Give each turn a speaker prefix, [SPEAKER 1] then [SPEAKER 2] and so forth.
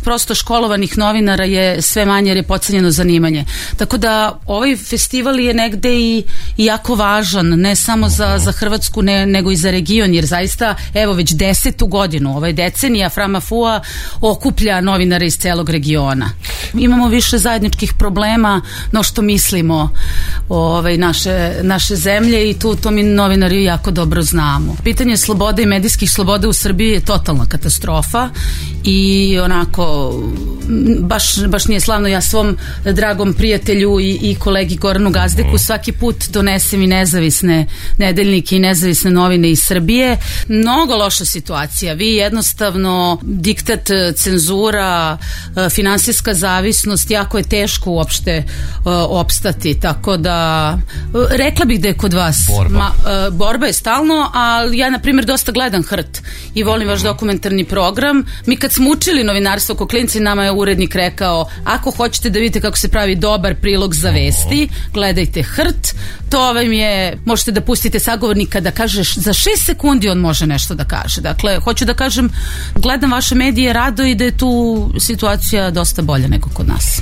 [SPEAKER 1] prosto školovanih novinara je sve manje jer je podcenjeno zanimanje. Tako da ovaj festival je negde i jako važan, ne samo za Hrvatsku, nego i za region, jer zaista, evo, već 10. godinu, ova je decenija Framafua okuplja novinare iz celog regiona. Imamo više zajedničkih problema no što mislimo naše zemlje i to mi novinari jako dobro znamo. Pitanje slobode i medijskih sloboda u Srbiji je totalna katastrofa i onako baš nije slavno. Ja svom dragom prijatelju i kolegi Goranu Gazdeku svaki put donesem i nezavisne nedeljnike i nezavisne novine iz Srbije. Mnogo loša situacija. Vi jednostavno diktat, cenzura, finansijska zavisnost, jako je teško uopšte opstati, tako da rekla bih da je kod vas borba je stalno, ali ja na primjer dosta gledam Hrt i volim vaš dokumentarni program. Mi kad smo učili novinarstvo ko klinci, nama je urednik rekao, ako hoćete da vidite kako se pravi dobar prilog za vesti, gledajte Hrt, to vam je, možete da pustite sagovornika da kažeš za 6 sekundi on može nešto da kaže. Dakle, hoću da kažem, gledam vaše medije rado i da je tu situacija dosta bolja nego kod nas.